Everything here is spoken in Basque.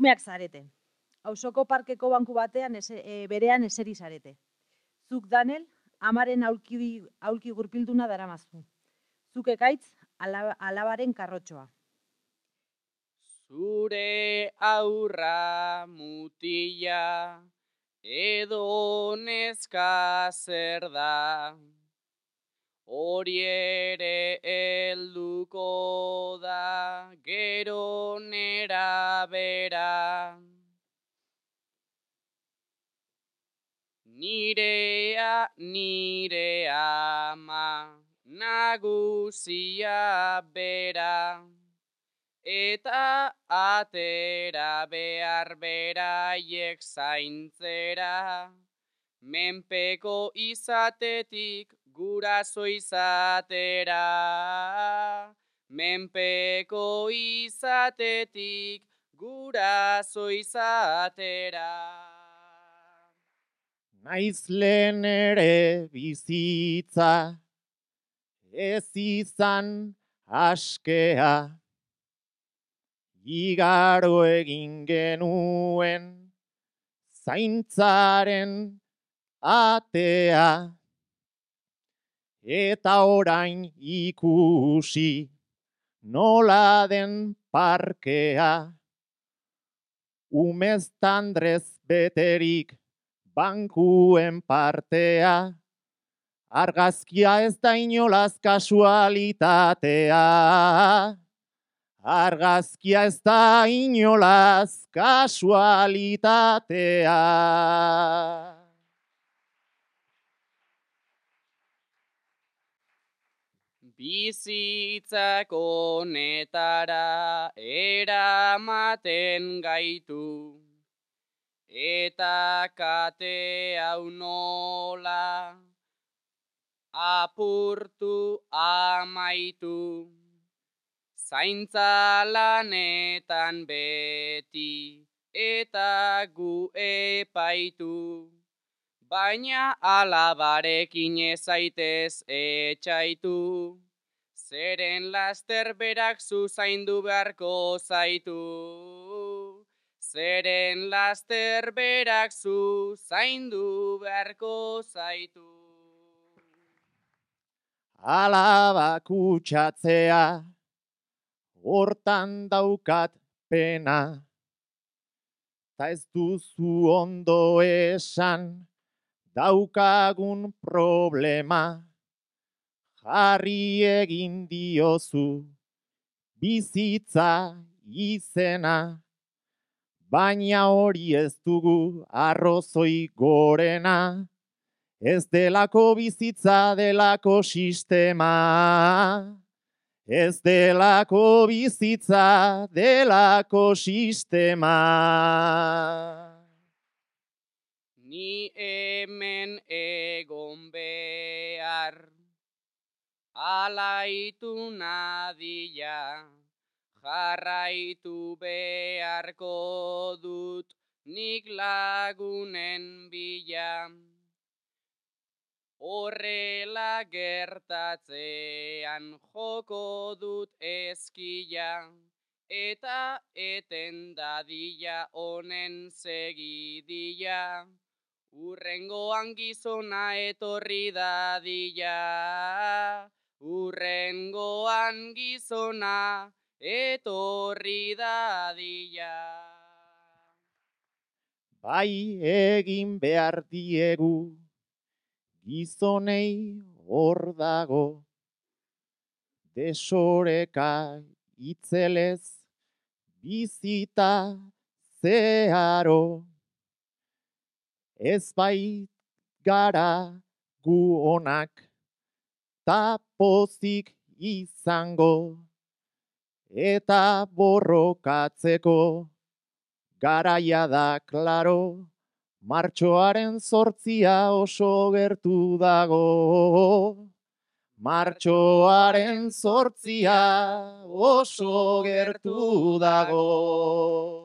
Emakumeak zarete. Auzoko parkeko banku batean berean eseri zarete. Zuk Danel, amaren aulki gurpilduna daramazu. Zuk Ekaitz, alabaren karrotxoa. Zure aurra mutila edo neska zer da, hori ere helduko da gero nera bera. Nire ama nagusia bera, eta atera behar beraiek zaintzera, menpeko izatetik guraso izatera. Menpeko izatetik guraso izatera. Naiz lehen ere bizitza, ez izan askea, igaro egin genuen zaintzaren atea, eta orain ikusi nola den parkea, umeztandrez beterik bankuen partea, argazkia ez da inolaz kasualitatea. Argazkia ez da inolaz kasualitatea. Bizitzak honetara eramaten gaitu, eta kate hau nola apurtu amaitu. Zaintza lanetan beti eta gu epaitu, baina alabarekin ezaitez etxaitu, zeren laster berak zu zaindu beharko zaitu. Zeren laster berak zu zaindu beharko zaitu. Alaba kutsatzea, hortan daukat pena, ta ez duzu ondo esan daukagun problema. Jarri egin diozu bizitza izena, baina hori ez dugu arrozoi gorena, ez delako bizitza delako sistema. Ez delako bizitza delako sistema. Ni hemen egon behar, alaitu nadia, jarraitu beharko dut nik lagunen bila. Horrela gertatzean joko dut ezkila, eta eten dadila honen segidila, urrengoan gizona etorri dadila, urrengoan gizona etorri dadila. Bai egin behar diegu, gizonei hor dago, desoreka itzelez bizita zeharo. Ez bait gara gu onak ta pozik izango, eta borrokatzeko garaia da klaro. Martxoaren 8 oso gertu dago. Martxoaren 8 oso gertu dago.